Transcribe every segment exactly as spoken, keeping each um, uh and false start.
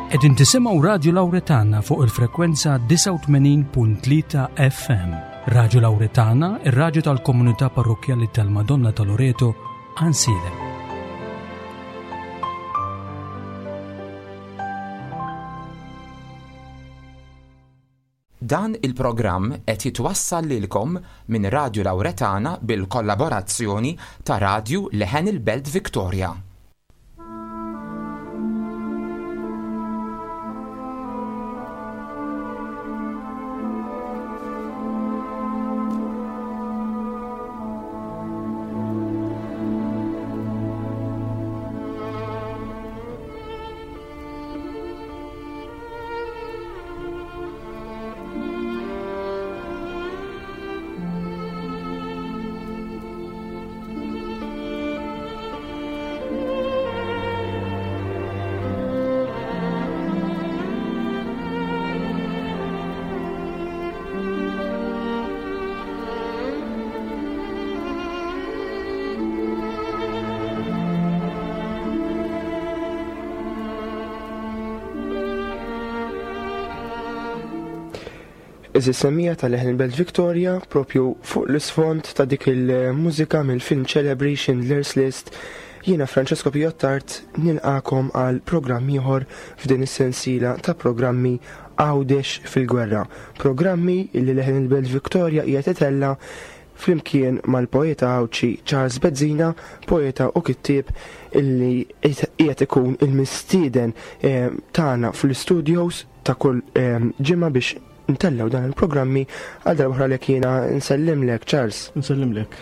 Qegħdin tisimgħu Radju Lawretana fuq il-frekwenza disgħa u tmenin punt tlieta F M. Radju Lawretana, ir-radju tal-komunità parrokkjali tal-Madonna ta' Loreto, Għajnsielem. Dan il-programm qed jitwassal lilkom minn Radju Lawretana bil-kollaborazzjoni ta' Radju Leħen il-Belt Victoria. Iżis semmija tal-Leħen il-Belt Victoria propju fuq l-isfond ta' dik il-mużika mill-film ċelebri Schindler's List. Jiena Francesco Piottart nilqakom għal programm ieħor f'din is-sensiela ta' programmi Għawdex fil-Gwerra. Programmi li Leħen il-Belt Victoria qiegħed itella' flimkien mal-poeta Għawdxi Charles Bezzina, poeta u kittieb illi qiegħed ikun il-mistieden, eh, tagħna fl-studios ta' kull, eh, ġimgħa biex ntellaw dan il-programmi. Għal darba oħra lek jiena nsellimlek, Charles. Nsellimlek.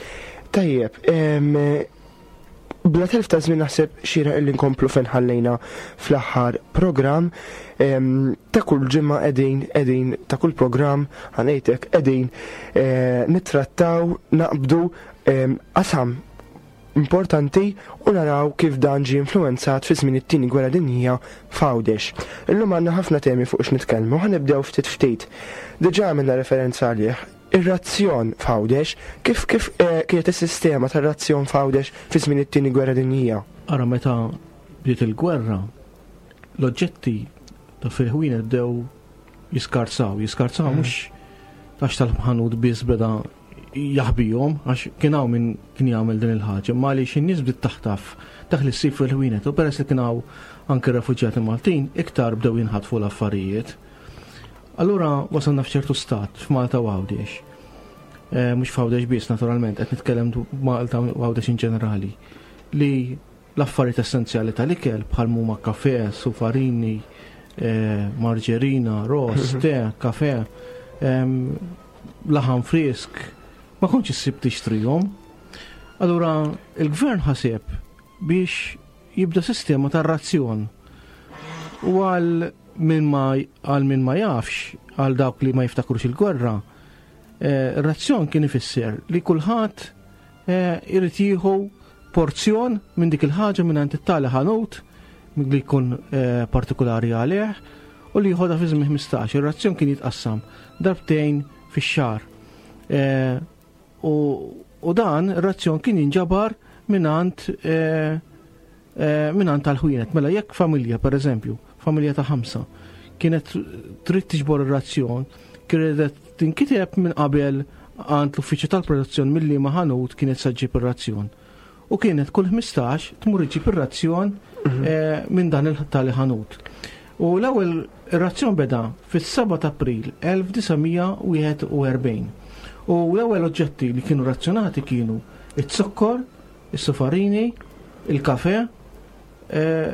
Tajjeb, em, bla telf ta' żmien naħseb xira illi nkomplu fejn ħallejna fl-aħħar programm. Em, ta' kull ġimgħa qegħdin, qegħdin, ta' kull programm ħanejtek qegħdin, eh, nittrattaw, naqbdu, em, qasam importanti u naraw kif dan ġie influenzat fi żmien it-tieni gwerra dinjija f'Għawdex. Illum għandna ħafna temi fuq x'nitkellmu, ħanibdew ftit ftit. Diġà għamilna referenza għalih. Ir-razzjon f'Għawdex, kif, kif, eh, kienet is-sistema tar-razzjon f'Għawdex fi żmien it-tieni gwerra dinjija? Ara meta bdiet il-gwerra, l-oġġetti ta' fil-ħwienet bdew jiskarzaw, jiskarzaw Mm. mhux għax tal-ħanut biss beda jaħbihom, għax kien hawn min kien jagħmel din il-ħaġa, imma għaliex in-nies bdiet taħtaf dak li ssib fil-ħwienet, u peress li kien hawn anke refuġjati Maltin, iktar bdew jinħatfu l-affarijiet. Allura wasalna f'ċertu stat f'Malta u Għawdex. Eh, mhux f'Għawdex biss naturalment, qed nitkellem dwar Malta u Għawdex in ġenerali, li l-affarijiet essenzjali tal-ikel bħal huma kafe, sufarini, eh, marġerina, ross, Mhm. te, kafe, em, laħam frisk, ma kontx issib tixtrihom. Allura il-gvern ħaseb biex jibda sistema ta' razzjon. U għal min ma, għal min ma jafx, għal dawk li ma jiftakrux il-gwerra, eh, razzjon kien ifisser li kulħadd, eh, irid jieħu porzjon minn dik il-ħaġa minn għand it-tali ħanut li jkun, eh, partikolari għalih u li jieħodha fi żmien ħmistax. Ir-razzjon kien jitqassam darbtejn fix-xahar. Eh, u, u dan ir-razzjon kien jinġabar minn għand, eh, eh, minn għand tal-ħwienet. Mela jekk familja, per eżempju, familja ta' ħamsa, kienet trid tiġbor ir-razzjon, kienet tinkiteb minn qabel għand l-uffiċċju tal-produzzjoni milli ma ħanut kienet se ġġib ir-razzjon. U kienet kull ħmistax tmur iġġib ir-razzjon, Mhm. eh, minn dan il-tali ħanut. U l-ewwel ir-razzjon beda fis-seba' ta' April elf disa' mija wieħed u erbgħin. U l-ewwel oġġetti li kienu razzjonati kienu iz-zokkor, is-sufarini, il-kafe, eh,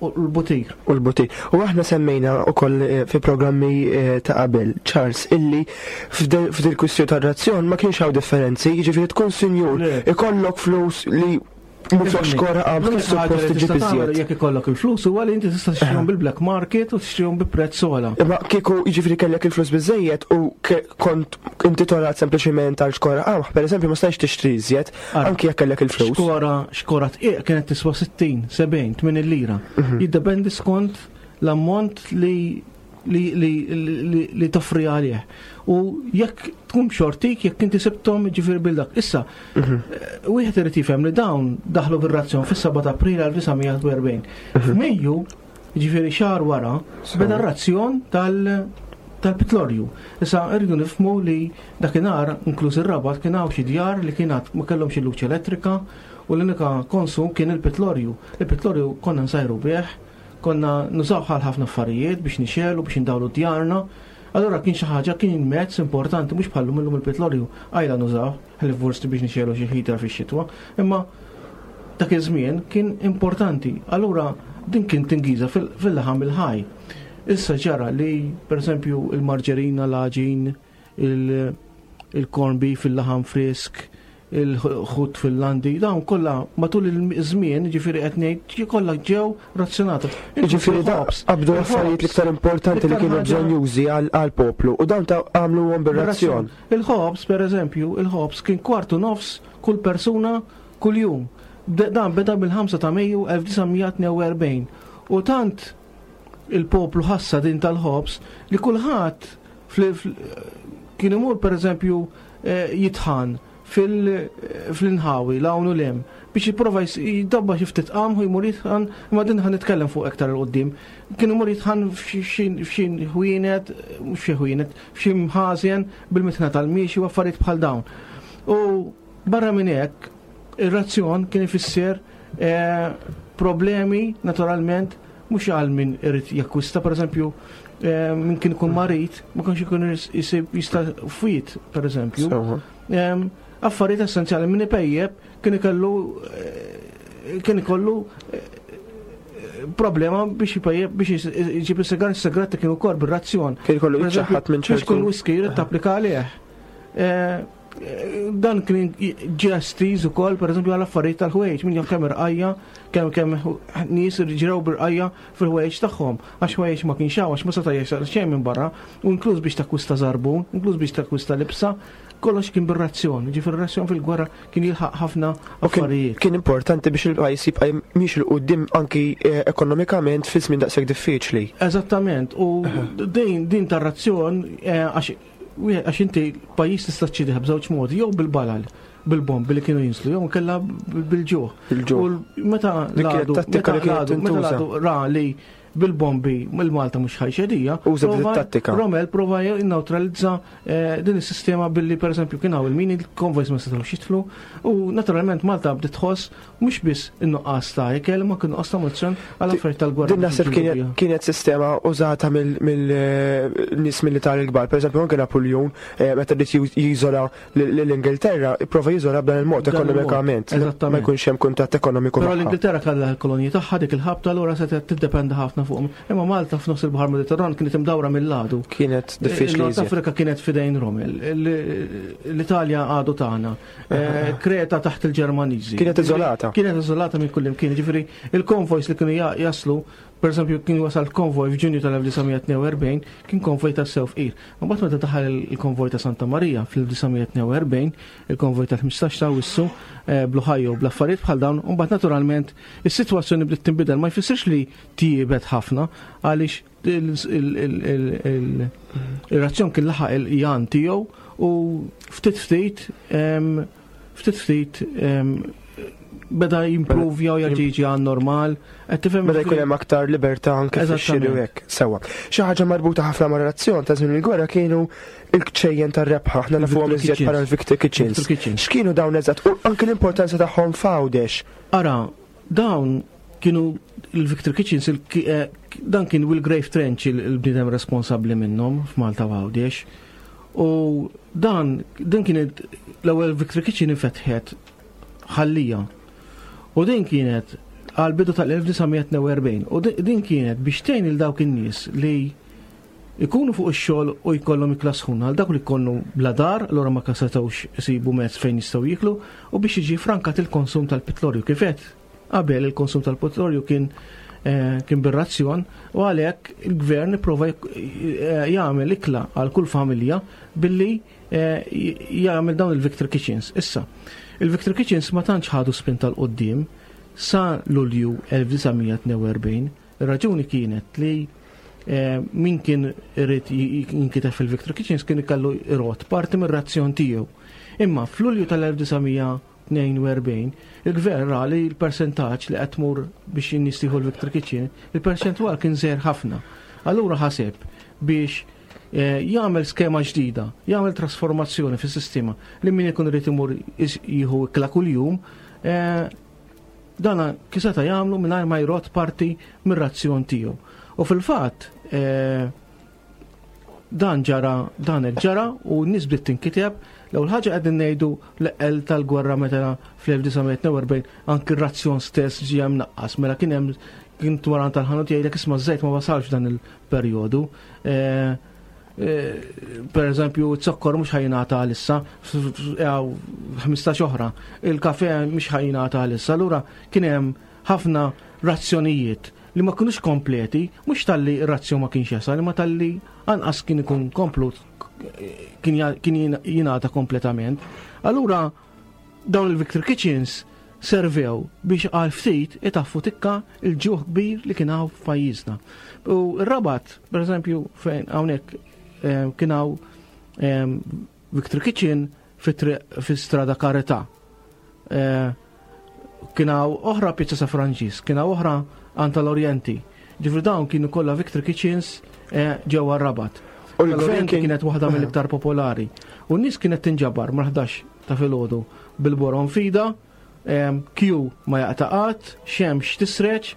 u l-butir. U l-butir. U aħna semmejna wkoll, eh, fi programmi, eh, ta' qabel, Charles, illi f'dil, f'dil kwistjoni tar-razzjon ma kienx hawn differenzi, jiġifieri tkun sinjur, Le. ikollok flus li mhux Ifhimni. xkora qabel L-unika kif suppost ħaġa li tiġi tista' tagħmel biżjed. Jekk ikollok il-flus huwa li inti tista' tixtrihom Aha. bil-black market u tixtrihom bi prezz ogħla. Imma kieku jiġifieri kellek il-flus biżejjed u ke-, kont intitolat sempliċiment għal xkora qamħ, pereżempju ma stajtx tixtri iżjed, Ara, anki jekk kellek il-flus. Xkora, xkora tqiq kienet tiswa sittin, sebgħin, tmenin lira. Mhm. Jiddependi skont l-ammont li li, li, li, li toffri għalih. U jekk tkun xortik, jekk inti sibthom ġifieri bil-dak. Issa, Mhm. eh, wieħed irid jifhem li dawn daħlu bir-razzjon fis-seba ta' April elf disa' mija u erbgħin. F'Mejju, ġifieri xahar wara, beda r-razzjon tal- tal-pitlorju. Issa rridu nifhmu li dakinhar, inkluż ir-Rabat, kien hawn xi djar li kien għad ma kellhomx il-luċ elettrika u l-unika konsum kien il-pitlorju. Il-pitlorju konna nsajru bih, konna nużaw għal ħafna affarijiet biex nixegħlu, biex indawlu djarna. Allora kien xi ħaġa, kien mezz importanti, mhux bħallum illum il-pitlorju għajla nużaw, ħalli forsi biex nixegħlu xi heater fix-xitwa, imma dak iż-żmien kien importanti. Allura din kien tingiża fil- fil-laħam il-ħaj. Issa ġara li, per eżempju, il-marġerina, l-għaġin, il- il-corn beef, il-laħam frisk, il-ħut fil-landi, dawn kollha matul il-żmien, ġifieri qed ngħid, kollha ġew razzjonati. Ġifieri da qabdu l-affarijiet l-iktar importanti li kienu bżonn jużi għal-poplu u dawn ta' għamluhom bir-razzjon. Il-ħobż, per eżempju, il-ħobż kien kwartu nofs kull persuna kull jum. Dan beda bil-ħamsa ta' Mejju elf disa' mija tnejn u erbgħin. U tant il-poplu ħassa din tal-ħobż li kulħadd kien imur, per eżempju, eh, jitħan fil-inħawi l-hawn u lem biex jipprova jidabba xi ftit qamħ u jmur jitħan, imma din ħa nitkellem fuq iktar 'il quddiem. Kien imur jitħan f'xi ħwienet, mhux f'xi ħwienet, f'xi mħażen bil-mitħna tal-miexi u affarijiet bħal dawn. U barra minn hekk, ir-razzjon kien ifisser eh, problemi naturalment mhux għal min irid jakkwista, per eżempju, eh, min kien ikun marid, ma kienx ikun jisib jista' fwiet, per eżempju. Affarijiet essenzjali, min ipejjeb kien ikollu eh, kien ikollu eh, problema biex ipejjeb, biex jġib is-sigar, is-sigaretti kienu wkoll bir-razzjon. Kien ikollu jiċċaħħad minn ċertu. Biex kun whisky jrid tapplika għalih. Eh, dan kien ġestiż ukoll, pereżempju, għal affarijiet tal-ħwejjeġ, min jaf kemm irqajja, kemm kemm nies ġrew birqajja fil-ħwejjeġ tagħhom, għax ħwejjeġ ma kienx hawn, għax ma seta' jasal xejn minn barra, u inkluż biex takkwista żarbun, inkluż biex takkwista libsa, kollox kien bir-razzjon, ġifieri razzjon fil-gwerra kien jilħaq ħafna affarijiet. Kien importanti biex il-pajjiż jibqa' miexi 'l quddiem anki eh, ekonomikament fi żmien daqshekk diffiċli. Eżattament, u din din tar-razzjon eh, għax għax inti pajjiż tista' ċċidih b'żewġ modi, jew bil-balal, bil-bombi li kienu jinslu, jew kella bil-ġuħ. Bil-ġuħ. Meta l-għadu ra li bil-bombi il-Malta mhux ħa jċediha. Uża tattika. Rommel prova jinneutralizza eh, din is-sistema billi, pereżempju, kien hawn il-mini, il-konvojs ma setgħux jidħlu u naturalment Malta bdiet tħoss mhux biss in-nuqqas ta' ikel, ma kien nuqqas ta' munizzjon għal affarijiet tal-gwerra. Din naħseb kienet sistema użata mill-nies militari l-kbar. Pereżempju, anke Napoleon eh, meta bdiet jiżola l-Ingilterra, prova jiżola b'dan il-mod ekonomikament. Ma jkunx hemm kuntatt ekonomiku. Però l-Ingilterra kellha l-kolonji tagħha dik il-ħabta, allura setgħet tiddependa ħafna fuqhom. Imma Malta f'nofs il-Baħar Mediterran kienet imdawra mill-għadu. Kienet diffiċli. Nord Afrika kienet fidejn Rommel. L-Italja għadu tagħna. Eh, Kreta taħt il-Ġermaniżi. Kienet iżolata. Kienet iżolata minn kull imkien. Ġifieri il-konvojs li kienu jaslu, per eżempju, kien wasal konvoj f'Ġunju tal-elf disa' mija tnejn u erbgħin, kien konvoj ta' sew fqir. Mbagħad meta daħal il-konvoj ta' Santa Maria fl-elf disa' mija tnejn u erbgħin, il-konvoj tal-ħmistax ta' Awwissu, eh, bl-Ohio, bl-affarijiet bħal dawn, mbagħad naturalment is-sitwazzjoni bdiet tinbidel. Ma jfissirx li tjiebet ħafna, għaliex il-razzjon kien laħaq il-jan tiegħu u ftit ftit ftit ftit beda jimprovja u jerġa' jiġi għan normal. Qed tifhem? Beda jkun hemm aktar libertà anke fix-xiri u hekk. Sewwa. Xi ħaġa marbuta ħafna ma' relazzjon ta' żmien il-gwerra kienu il-kċejjen tar-rebħa, aħna nafuhom iżjed bħala l-Victory Kitchens. X'kienu dawn eżatt u anke l-importanza tagħhom f'Għawdex? Ara, dawn kienu il-Victory Kitchens, eh, dan kien Will Grave Trench il-bniedem responsabbli minnhom f'Malta u Għawdex. U dan, din kienet l-ewwel Victory Kitchen infetħet Ħal Lija. U din kienet għal bidu tal-elf disa' mija tnejn u erbgħin. U din kienet biex tgħin il dawk in-nies li ikunu fuq ix-xogħol u jkollhom ikla sħuna, għal dak li jkollu bla dar, allura ma setgħux isibu mezz fejn jistgħu jiklu, u biex jiġi frankat il-konsum tal-petrolju. Kif għedt qabel, il-konsum tal-petrolju kien eh, kien bir-razzjon u għalhekk il-gvern ipprova eh, jagħmel ikla għal kull familja billi eh, jagħmel dawn il-Victory Kitchens. Issa, il-Victory Kitchens ma tantx ħadu spinta 'l quddiem sa Lulju elf disa' mija tnejn u erbgħin. Ir-raġuni kienet li eh, min kien irid jinkiteb fil-Victory Kitchens kien ikollu jrodd parti mir-razzjon tiegħu. Imma f'Lulju tal-elf disa' mija tnejn u erbgħin il-gvern ra li l-persentaġġ li qed tmur biex in-nies tieħu l-Victory Kitchen, il-perċentwal kien żgħir ħafna. Allura ħaseb biex eh, jagħmel skema ġdida, jagħmel trasformazzjoni fis-sistema li min ikun irid imur jieħu ikla kuljum, eh, dana kif seta' jagħmlu mingħajr ma jrodd parti mir-razzjon tiegħu. U fil-fatt eh, dan ġara, dan hekk ġara u n-nies bdiet tinkiteb. L-ewwel ħaġa qegħdin ngħidu l-eqqel tal-gwerra meta fl-elf disa' mija tnejn u erbgħin anki r-razzjon stess ġie mnaqqas, mela kien hemm kien twaran tal-ħanut jgħidlek, "Isma', żejt ma wasalx dan il-perjodu. Eh, eh, per eżempju, z-zokkor mhux ħa jingħata għalissa, ħmistax oħra, il-kafe mhux ħa jingħata għalissa, allura kien hemm ħafna razzjonijiet li ma kienux kompleti, mhux talli razzjon ma kienx jasal, imma talli anqas kien ikun komplut, kien jingħata kompletament. Allura dawn il-Victory Kitchens servew biex għal ftit itaffu tikka il-ġuħ kbir li kien hawn f'pajjiżna. U r-Rabat, per eżempju, fejn hawnhekk eh, kien hawn eh, Victory Kitchen fi Strada Karità. Eh, kien hawn oħra Pizza San Franġisk, kien hawn oħra Anta l-Orienti. Ġifieri dawn kienu kollha Victory Kitchens ġewwa r-Rabat. U l-gvern L-Orienti kienet waħda mill-iktar popolari. U n-nies kienet tinġabar mal-ħdax ta' filgħodu bil-borom f'idha, queue ma jaqta' qatt, xemx tisreċ,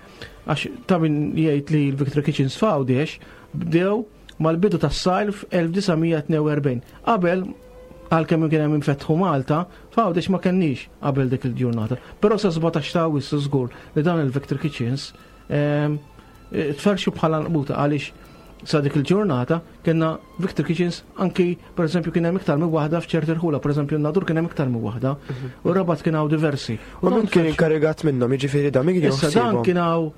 għax ta' min jgħid li l-Victory Kitchens f'Għawdex bdew mal-bidu tas-sajf elf disa' mija tnejn u erbgħin. Qabel, għalkemm kien hemm infetħu Malta, f'Għawdex ma kenniex qabel dik il-ġurnata. Però sa sbatax ta' Awwissu żgur li dawn il-Victory Kitchens tferxu bħala nqbuta, għaliex sa dik il-ġurnata kellna Victory Kitchens anki, per eżempju, kien hemm iktar minn waħda f'ċerti rħula, per eżempju Nadur kien hemm iktar minn waħda, u Rabat kien hawn diversi. U min kien inkarigat minnhom, jiġifieri da min kien Issa dan jaħsibhom? kien hawn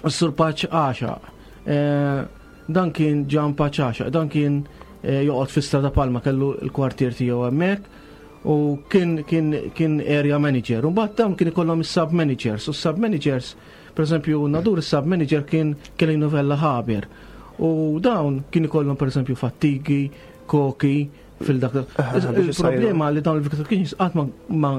s-Sur Paċ Għaxaq. Eh, Dan kien Ġan Paċ Għaxaq, dan kien eh, joqgħod fi Strada Palma, kellu l-kwartier tiegħu hemmhekk u kien kien kien area manager. U mbagħad dawn kien ikollhom is-sub managers. U s-sub managers, per eżempju, Nadur is-sub manager kien kien Novella Haber. U dawn kien ikollhom, per eżempju, fattigi, koki fil-dak. Aha, biex Il-problema li dawn il-Victory Kitchens qatt ma, ma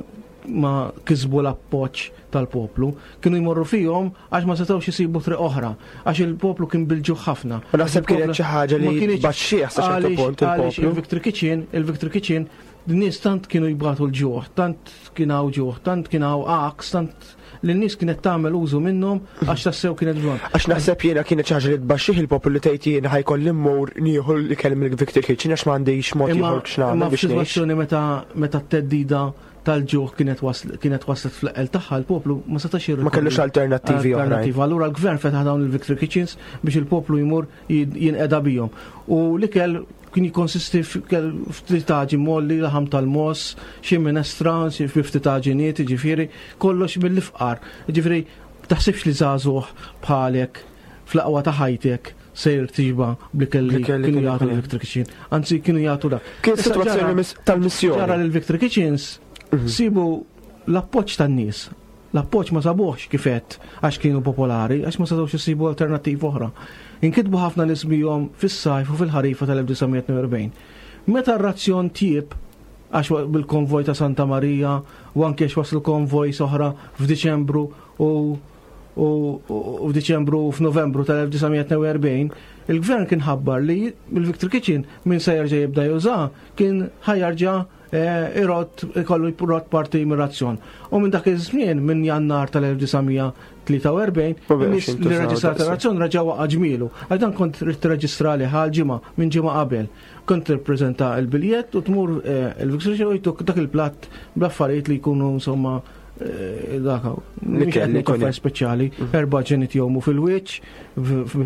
ma kisbu l-appoġġ tal-poplu, kienu jmorru fihom għax ma setgħux isibu triq oħra, għax il-poplu kien bil-ġuħ ħafna. U naħseb kienet xi ħaġa li Ma kienx- baxxieħ sa ċertu għaliex- punt għaliex il-poplu. Il-Victory Kitchen, il-Victory Kitchen, n-nies tant kienu jbatu l-ġuħ, tant kien hawn ġuħ, tant kien hawn għaks, tant li n-nies kienet tagħmel użu minnhom għax tassew kienet bżonn. Għax naħseb jiena kienet xi ħaġa li tbaxxih il-poplu li tgħid, "Jiena ħa jkolli mmur nieħu l-ikel mill-Victory Kitchen għax m'għandix mod Imma ieħor x'nagħmel imma biex ngħix." f'sitwazzjoni meta meta t-theddida tal-ġuħ kienet wasl- kienet waslet fl-eqqel tagħha, l-poplu ma setax jirrikorri Ma kellux alternattivi oħrajn. Alternativa. Allura l-gvern fetaħ dawn il-Victory Kitchens biex il-poplu jmur jid- jinqeda bihom. U l-ikel kien jikonsisti ftit taġin molli, laħam tal-mogħoż, xi minestra, xi ftit taġiniet, ġifieri, kollox mill-ifqar. Ġifieri, taħsibx li żagħżugħ bħalek fl-aqwa ta' ħajtek sejr tixba bl-ikel li Bl-ikel li kienu kienu jagħtu jkun hemm. l-Victory Kitchen. Anzi, kienu jagħtu dak. Kien Issa situazzjoni ġara- mis- tal-missjoni. Ġara li l-Victory Kitchens sibu l-appoġġ tan-nies. L-appoġġ ma sabuħx kifet għax kienu popolari, għax ma setgħux isibu alternattiv oħra. Inkitbu ħafna nies bihom fis-sajf u fil-ħarifa tal-elf disa' mija tnejn u erbgħin. Meta r-razzjon tjieb, għax wa- bil-konvoj ta' Santa Maria u anke għax waslu konvoj oħra f'Diċembru u u u f'Diċembru u f'Novembru tal-elf disa' mija tnejn u erbgħin, il-gvern kien ħabbar li il-Victory Kitchen min se jerġa' jibda juża kien ħa jerġa' eh, irodd ikollu jrodd parti mir-razzjon. U minn dak iż-żmien, minn Jannar tal-elf disa' mija tlieta u erbgħin, Ma baqgħux in-nies li jintużaw reġistrat daqshekk. ir-razzjon reġa' waqa' ġmielu. Għal dan kont trid tirreġistra li ħal ġimgħa minn ġimgħa qabel. Kont tirpreżenta l-biljett u tmur eh, il-Victory Kitchen u jtuk dak il-platt bl-affarijiet li jkunu insomma eh, dak Li mhux kelli qed ngħid jkun hemm. affarijiet speċjali, erba' ġenit jgħumu fil-wiċċ,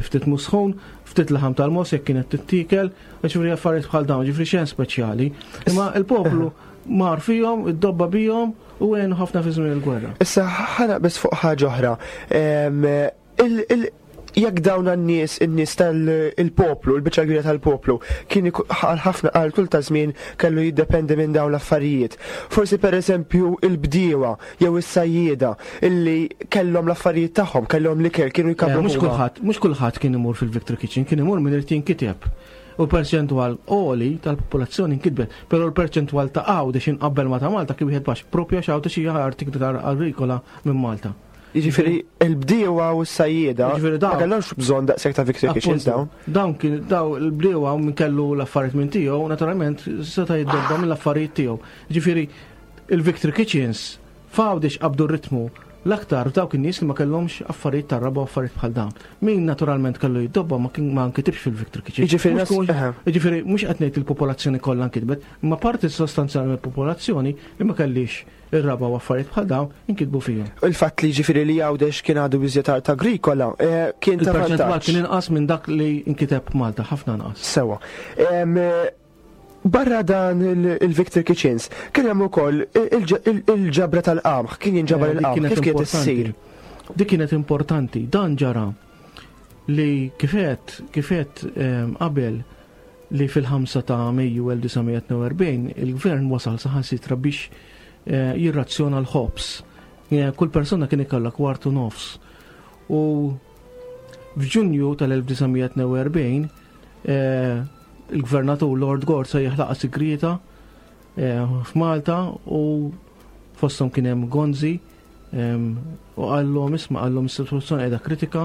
ftit musħun, ftit laħam tal-mogħoż jekk kienet tittikel, ġifieri affarijiet bħal dawn, ġifieri xejn speċjali. Imma il-poplu mar fihom, iddobba bihom u għenu ħafna fi żmien il-gwerra. Issa ħa naqbeż fuq ħaġa oħra. Em, il- il- Jekk dawn n-nies, in-nies tal-poplu, il-biċċa kbira tal-poplu, kien għal ħafna għal tul ta' żmien kellu jiddependi minn dawn l-affarijiet. Forsi per eżempju il-bdiewa jew is-sajjieda illi kellhom l-affarijiet tagħhom, kellhom l-ikel, kienu jkabbru. Mhux kulħadd, mhux kulħadd kien imur fil-Victory Kitchen, kien imur min irid jinkiteb. U perċentwal għoli tal-popolazzjoni nkitbet, però l-perċentwal ta' Għawdex inqabbel ma ta' Malta kien wieħed baxx, propju għax Għawdex hija art iktar agrikola minn Malta. Jiġifieri il-bdiewa u s-sajjieda ma kellhomx bżonn daqshekk ta' Victory Kitchens dawn. Dawn kien daw il-bdiewa minn kellu l-affarijiet minn tiegħu, naturalment seta' jiddobba mill-affarijiet tiegħu. Jiġifieri il-Victory Kitchens f'Għawdex qabdu r-ritmu l-aktar dawk in-nies li ma kellhomx affarijiet tar-raba u affarijiet bħal dawn. Min naturalment kellu jiddobba ma kien ma nkitibx fil-Victory Kitchen. Jiġifieri mhux qed ngħid il-popolazzjoni kollha nkitbet, imma parti sostanzjali mill-popolazzjoni li ma kellix ir-raba u affarijiet bħal dawn inkitbu fihom. Il-fatt li ġifieri li Għawdex kien għadu biżjed art agrikola kien ta' Il-perċentwal kien inqas minn dak li nkiteb Malta, ħafna inqas. Sewwa. Barra dan il-Victory Kitchens, kien hemm ukoll il-ġabra tal-qamħ, kien jinġabar il-qamħ, kif kienet issir? Dik kienet importanti, dan ġara li kifet, kifet qabel li fil-ħamsa ta' Mejju elf disa' mija tnejn u erbgħin il-gvern wasal saħansitra biex jirrazzjona l-ħobż. Kull persuna kien ikollha kwartu nofs. U f'Ġunju tal-elf disa' mija tnejn u erbgħin il-gvernatur Lord Gore se jeħlaqa sigrieta f'Malta u fosthom kien hemm Gonzi u qallhom isma' qallhom is-sitwazzjoni qiegħda kritika,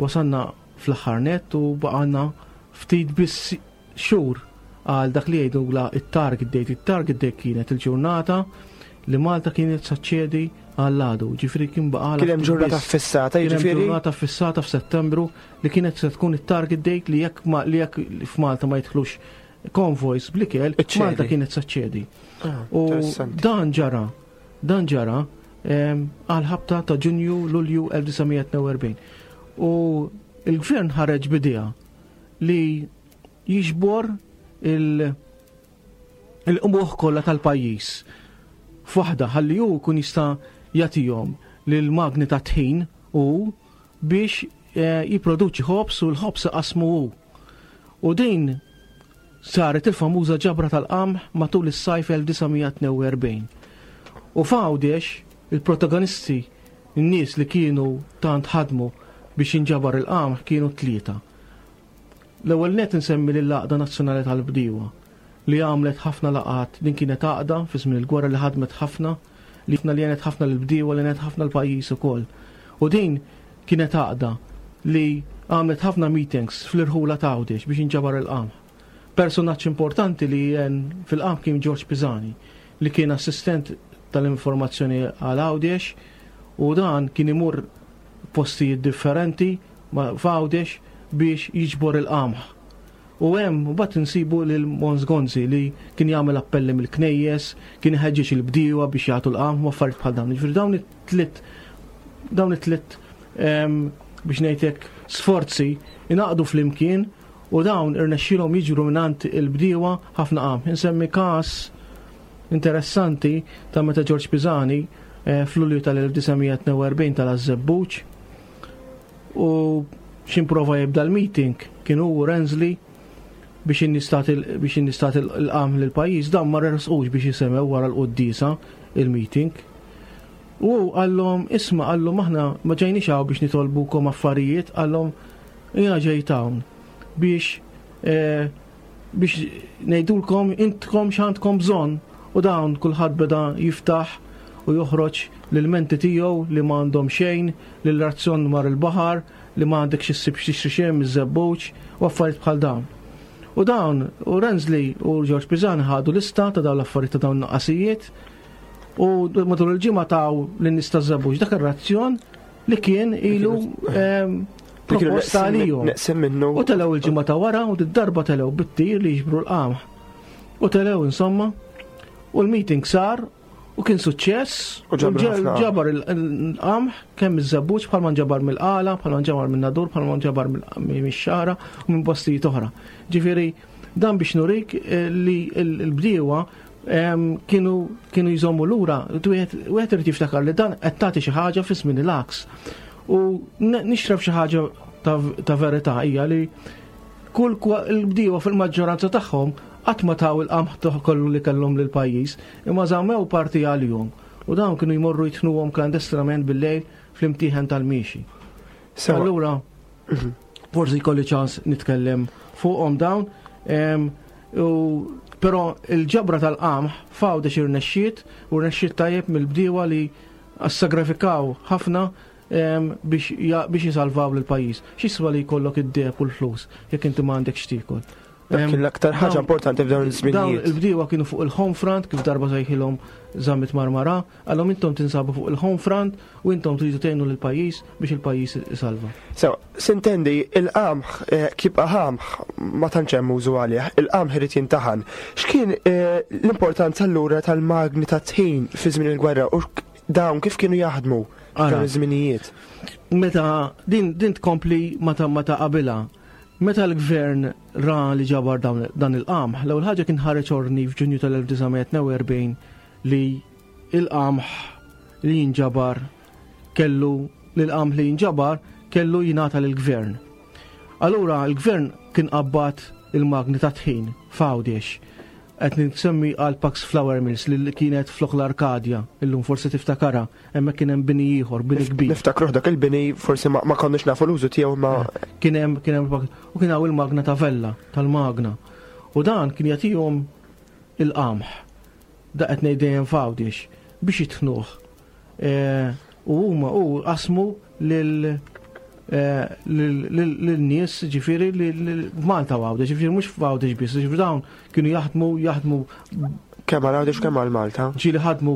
wasalna fl-aħħar nett u baqgħna ftit biss xhur għal dak li jgħidu la it-target date. It-target date kienet il-ġurnata li Malta kienet saċċedi għall-għadu, ġifieri kien baqgħalha Kien hemm ftit ġurnata biss. fissata, Kien hemm jiġifieri? ġurnata fissata f'Settembru li kienet se tkun it-target date li jekk ma, li jekk f'Malta ma jidħlux konvojs bl-ikel, Iċċedi. Malta kienet saċċedi. Ah, U interessanti. dan ġara, dan ġara, ehm, għal ħabta ta' Ġunju Lulju elf disa' mija tnejn u erbgħin. U il-gvern ħareġ bidea li jiġbor il-, il-qmuħ kollha tal-pajjiż f'waħda ħalli hu jkun jista' jagħtihom lil magni ta' tħin u biex, eh, jipproduċi ħobż u l-ħobż iqasmu hu. U din saret il-famuża ġabra tal-qamħ matul is-sajf elf disa' mija tnejn u erbgħin. U f'Għawdex il-protagonisti, n-nies li kienu tant ħadmu biex jinġabar il-qamħ kienu tlieta. L-ewwel net insemmi lill-Għaqda Nazzjonali tal-Bdiewa li għamlet ħafna laqgħat, din kienet għaqda fi żmien il-gwerra li ħadmet ħafna, li ħafna li għenet ħafna l-bdiewa, li għenet ħafna l-pajjiż ukoll. U din kienet għaqda li għamlet ħafna meetings fl-irħula ta' Għawdex biex jinġabar il-qamħ. Personaġġ importanti li għen fil-qamħ kien George Pisani, li kien assistent tal-informazzjoni għal Għawdex, u dan kien imur postijiet differenti f'Għawdex biex jiġbor il-qamħ. U hemm mbagħad insibu lil Mons Gonzi li kien jagħmel appelli mill-knejjes, kien iħeġġeġ il-bdiewa biex jagħtu l-qamħ u affarijiet bħal dawn. Jiġifieri dawn it-tliet, dawn it-tliet, ehm, biex ngħidlek sforzi ingħaqdu flimkien u dawn irnexxielhom jiġru mingħand il-bdiewa ħafna qamħ. Insemmi każ interessanti ta' meta George Pisani, eh, fl-Lulju tal-elf disa' mija tnejn u erbgħin tal-Żebbuġ u x'improva jibda l-meeting kienu hu Ransley biex in-nies tagħti l-, biex in-nies tagħti l-qamħ lill-pajjiż, dan ma resqux biex jisemgħu wara l-quddiesa il-meeting. U qallhom, isma', qallhom aħna ma ġejniex hawn biex nitolbukom affarijiet, qallhom jiena ġejt hawn biex, eh, biex ngħidulkom intkom x'għandkom bżonn. U dawn kulħadd beda jiftaħ u joħroġ l-menti tiegħu li ma għandhom xejn, li l-razzjon mar il-baħar, li ma għandek xi ssib xi xejn miż-żebbuġ u affarijiet bħal dawn. U dawn, u Ransley u George Pisani ħadu lista ta' dawn l-affarijiet ta' dawn nuqqasijiet u matul il-ġimgħa taw lin-nies taż-żebbuġ dak ir-razzjon li kien ilu, ehm, Li kienu proposta neqsin għalihom. neqsin minnu. U telew il-ġimgħa ta' wara u d-darba telew bit-tir li jiġbru l-qamħ. U telew insomma, u l-meeting sar u kien suċċess, U ġabru u ġel- ħafna. ġabar il-, il-qamħ kemm iż-żebbuġ bħalma nġabar mill-qala, bħalma nġabar minn-Nadur, bħalma nġabar mill-, mix-Xagħra u minn postijiet oħra. Ġifieri dan biex nurik, eh, li l-, l-bdiewa, ehm, kienu, kienu jżommu lura, wieħed, wieħed irid jiftakar li dan qed tagħti xi ħaġa fi żmien il-għaks. U n-, nixraf xi ħaġa ta' verità hija li kull il-bdiewa fil-maġġoranza tagħhom qatt ma taw il-qamħ kollu li kellhom lill-pajjiż, imma żammew parti għalihom. U dawn kienu jmorru jitnuhom klandestinament bil-lejl fl-imtieħen tal-miexi. Allura, forsi jkolli ċans nitkellem fuqhom dawn, però il-ġabra tal-qamħ f'Għawdex irnexxiet u rnexxiet tajjeb mill-bdiewa li assagrafikaw ħafna biex jisalvaw lill-pajjiż. X'jiswa li jkollok id-deheb u l-flus jekk inti ma għandekx x'tiekol? Dak kien l-aktar ħaġa importanti f'dawn iż-żminijiet. Dawn il-bdiewa kienu fuq il-home front, kif darba sejħilhom Zammit Marmara, qalhom intom tinsabu fuq il-home front u intom tridu tgħinu lill-pajjiż biex il-pajjiż isalva. So, sintendi, il-qamħ kibqa' qamħ ma tantx hemm użu għalih, il-qamħ irid jintaħan. X'kien l-importanza allura tal-magni ta' tħin fi żmien il-gwerra u dawn kif kienu jaħdmu f'dawn iż-żminijiet? Meta din din tkompli meta meta qabilha. Meta l-gvern ra li ġabar dan il-qamħ, l-ewwel ħaġa kien ħareġ ordni f'Ġunju tal-elf disa' mija tnejn u erbgħin li il-qamħ li jinġabar kellu li l-qamħ li jinġabar kellu jingħata lill-gvern. Allura l-gvern kien qabbat il-magni ta' tħin f'Għawdex. Qed nsemmi għal Pax Flour Mills li kienet flok l-Arkadja, illum forsi tiftakarha, hemmhekk kien hemm bini ieħor, bini kbir. Niftakruh dak il-bini, forsi ma, ma konniex nafu l-użu tiegħu ma Kien hemm, kien hemm u kien hawn il-magna ta' Vella tal-magna. U dan kien jagħtihom il-qamħ. Da qed ngħid dejjem f'Għawdex biex jitħnuh. E, u huma u qasmu lil lil-nies, ġifieri Malta u Għawdex, ġifieri mhux f'Għawdex biss, ġifieri dawn kienu jaħdmu, jaħdmu kemm għal Għawdex kemm għal Malta. Ġieli ħadmu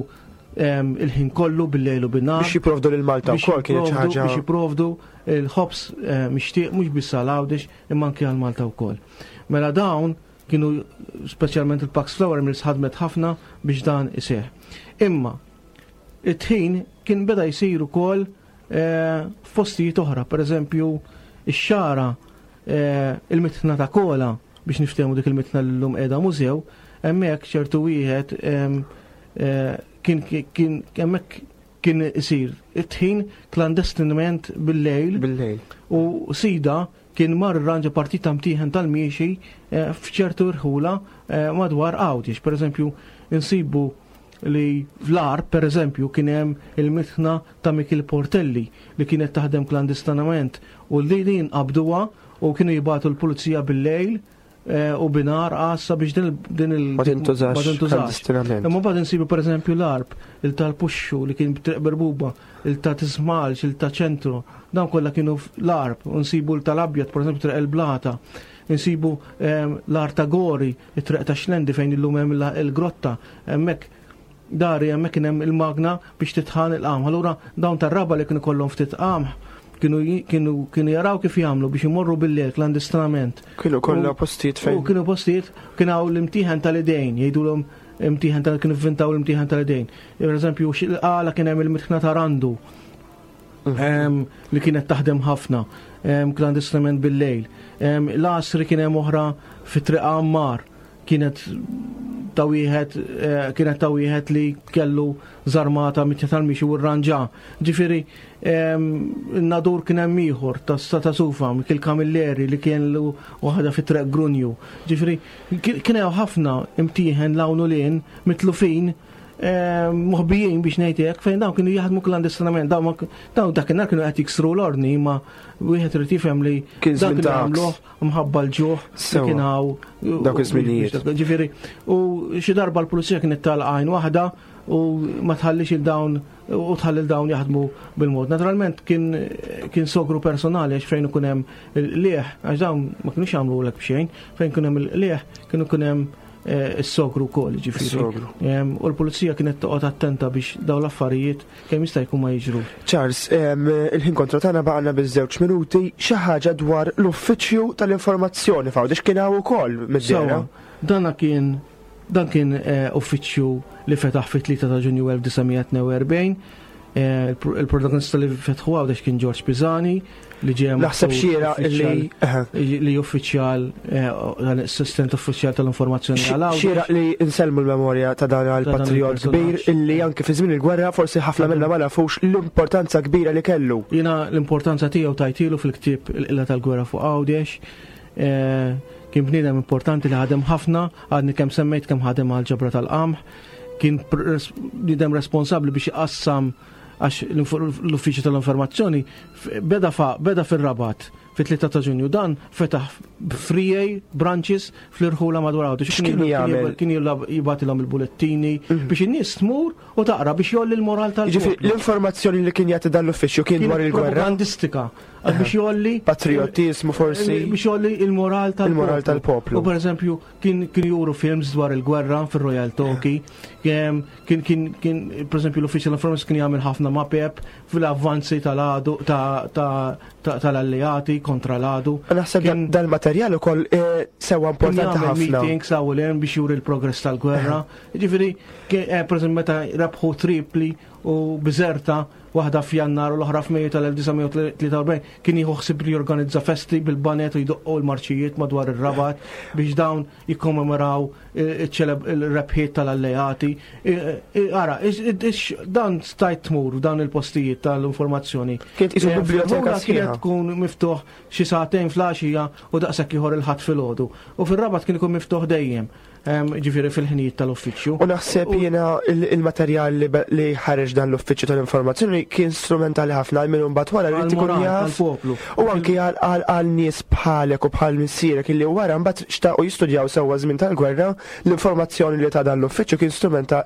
il-ħin kollu bil-lejl u bin-nhar. Biex jipprovdu lil Malta wkoll kienet xi ħaġa. Biex jipprovdu il-ħobż mixtieq mhux biss għal Għawdex imma anke għal Malta wkoll. Mela dawn kienu speċjalment il-Pax Flour Mills ħadmet ħafna biex dan iseħħ. Imma it-tħin kien beda jsir ukoll f'postijiet oħra, per eżempju ix-xara, il-mitħna ta' Kola, biex niftehmu dik il-mitħna li llum qiegħda mużew, hemmhekk ċertu wieħed kien kien hemmhekk kien isir it-tħin klandestinament bil-lejl. Bil-lejl. U sida kien mar irranġa partita mtieħen tal-miexi f'ċertu rħula madwar Għawdex. Per eżempju, insibu li fl-Għarb, per eżempju, kien hemm il-mitħna ta' Mikil Portelli li kienet taħdem klandestinament u li din qabduha u kienu jibgħatu l-pulizija bil-lejl u binar għassa biex din il- Ma tintużax ma tintużax. klandestinament. Imma mbagħad insibu per eżempju l-Għarb, il tal-Puxxu li kien Triq Berbuba, il ta' Tismalx, il ta' Ċentru, dawn kollha kienu l-Għarb, u nsibu l-tal-Abjad, per eżempju Triq il-Blata, insibu l-Għar ta' Gori, it-Triq ta' Xlendi fejn illum hemm il-grotta, hemmhekk dari hemmhekk kien hemm il-magna biex titħan il-qamħ. Allura dawn tar-raba li kienu kollhom ftit qamħ kienu kienu kienu jaraw kif jagħmlu biex imorru bil-lejl klandestinament. Kienu kollha postijiet fejn. U kienu postijiet, kien hawn l-imtieħen tal-idejn, jgħidulhom imtieħen tal kienu vvintaw l-imtieħen tal-idejn. Per eżempju, għala kien hemm il-mitħna ta' Randu, li kienet taħdem ħafna, klandestinament bil-lejl. L-Għasri kien hemm oħra fi Triq Ammar, kienet ta' wieħed, kienet ta' wieħed li kellu żarmata mitja tal-mixi u rranġa. Ġifieri, in-Nadur kien hemm ieħor ta' Stata Sufa, Mikil Camilleri li kien lu waħda fi Triq Grunju. Ġifieri, kien hemm ħafna imtieħen l-hawn u lien mitlufin, moħbijin biex ngħid hekk, fejn dawn kienu jaħdmu klandestinament. Dawn dawn dakinhar kienu qed jiksru l-ordni, imma wieħed irid jifhem li Kien dak żmien kienu ta' jagħmluh mħabba l-ġuħ li Sewa. kien hawn Dawk iż-żminijiet. Ġifieri, u xi darba l-pulizija kienet tal-għajn waħda u ma tħallix il-dawn u tħalli l-dawn jaħdmu bil-mod. Naturalment kien, kien sogru personali għax fejn ikun hemm il-qliegħ, għax dawn ma kinux jagħmlu lek b'xejn, fejn ikun hemm il-qliegħ kienu ikun hemm is-sogru wkoll, ġifieri. Is-sogru. U l-pulizija kienet toqgħod attenta biex dawn l-affarijiet kemm jista' jkun ma jiġru. Charles, il-ħin kontra tagħna baqgħna biż-żewġ minuti, xi ħaġa dwar l-uffiċċju tal-informazzjoni f'Għawdex kien hawn ukoll mid-dehra. Sewa, dana kien dan kien, eh, uffiċċju li fetaħ fit-tlieta ta' Ġunju elf disa' mija tnejn u erbgħin, Eh, il-protagonista li fetħu Għawdex kien George Pisani li ġie Naħseb xieraq li li uffiċjal, eh, l-assistent uffiċjal tal-informazzjoni għal Għawdex. Xieraq li nsellmu l-memorja ta' dan il-patriot kbir illi anke fi żmien il-gwerra forsi ħafna minna ma nafux l-importanza kbira li kellu. Jiena l-importanza tiegħu tajtilu fil-ktieb Il-Qilla tal-Gwerra fuq Għawdex. Eh, kien bniedem importanti li ħadem ħafna, għadni kemm semmejt kemm ħadem għal ġabra tal-qamħ, kien bniedem responsabbli biex iqassam, għax l-uffiċċju tal-informazzjoni beda beda fir-Rabat fit-tlieta ta' Ġunju, dan fetaħ three branches fl-irħula madwar Għawdex. X'kien jagħmel? Kien jibgħatilhom il-bulettini biex in-nies tmur u taqra biex jgħolli l-moral tal Ġifieri l-informazzjoni li kien jagħti dan l-uffiċċju kien dwar il-gwerra? Propagandistika. Biex jgħolli patriotizmu forsi. Biex jgħolli il-moral tal-poplu. Il-moral tal-poplu. U per eżempju kien kien juru films dwar il-gwerra fir-Royal Talkie. Kien kien kien per eżempju l-uffiċċju tal-informazzjoni kien jagħmel ħafna mapep fil-avvanzi tal-għadu tal-alleati kontra l-għadu. Naħseb dal-materjal ukoll sewa importanti ħafna. Meetings hawn biex juri l-progress tal-gwerra. Ġifieri per eżempju meta rebħu Tripli u Bizerta, waħda f'Jannar u l-oħra f'Mejju tal-elf disa' mija tlieta u erbgħin, kien jieħu ħsieb li jorganizza festi bil-baned u jdoqqu l-marċijiet madwar ir-Rabat biex dawn jikkommemoraw il-rebħiet tal-alleati. Ara, dan stajt tmur dan il-postijiet tal-informazzjoni. Kien isu biblioteka. Kienet tkun miftuħ xi sagħtejn filgħaxija u daqshekk ieħor il-Ħadd filgħodu. U fir-Rabat kien ikun miftuħ dejjem, ġifieri fil-ħinijiet tal-uffiċċju. U naħseb jiena il-materjal li ħareġ dan l-uffiċċju tal-informazzjoni kien strumentali ħafna għal min mbagħad wara li ikun jaf. U anki għal nies bħalek u bħal missierek illi wara mbagħad xtaqu jistudjaw sewwa żmien tal-gwerra, l-informazzjoni li ta' dan l-uffiċċju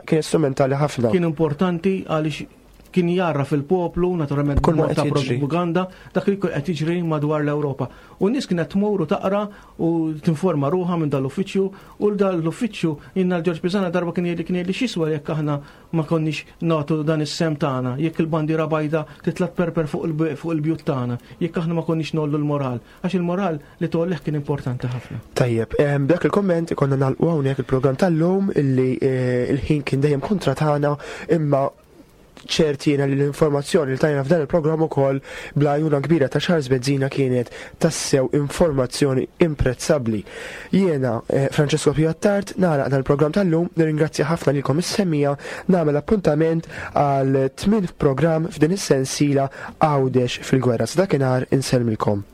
kien strumentali ħafna. Kien importanti għaliex kien jarra fil-poplu, naturalment kull ta' propaganda, dak li qed jiġri madwar l-Ewropa. U n-nies kienet tmur u taqra u tinforma ruħha minn dal-uffiċċju, u dal-uffiċċju inna l-Ġorġ Pisani darba kien jgħidli kien jgħidli x'jiswa jekk aħna ma konniex nagħtu dan is-sehem tagħna, jekk il-bandiera bajda titla' perper fuq il-bjut tagħna, jekk aħna ma konniex ngħollu l-moral, għax il-moral li tgħollih kien importanti ħafna. Tajjeb, b'dak il-komment ikonna nagħlqu hawnhekk il-programm tal-lum illi il-ħin kien dejjem kontra tagħna, imma ċertina li l-informazzjoni li tajna f'dan il-programm ukoll bl-għajnuna kbira ta' Charles Bezzina kienet tassew informazzjoni imprezzabbli. Jiena eh, Francesco Piottart nagħlaq dan il-programm tal-lum, nirringrazzja ħafna lilkom is-semmiegħa, nagħmel appuntament għal tmien programm f'din is-sensiela Għawdex fil-gwerra. Sa dakinhar insellmilkom.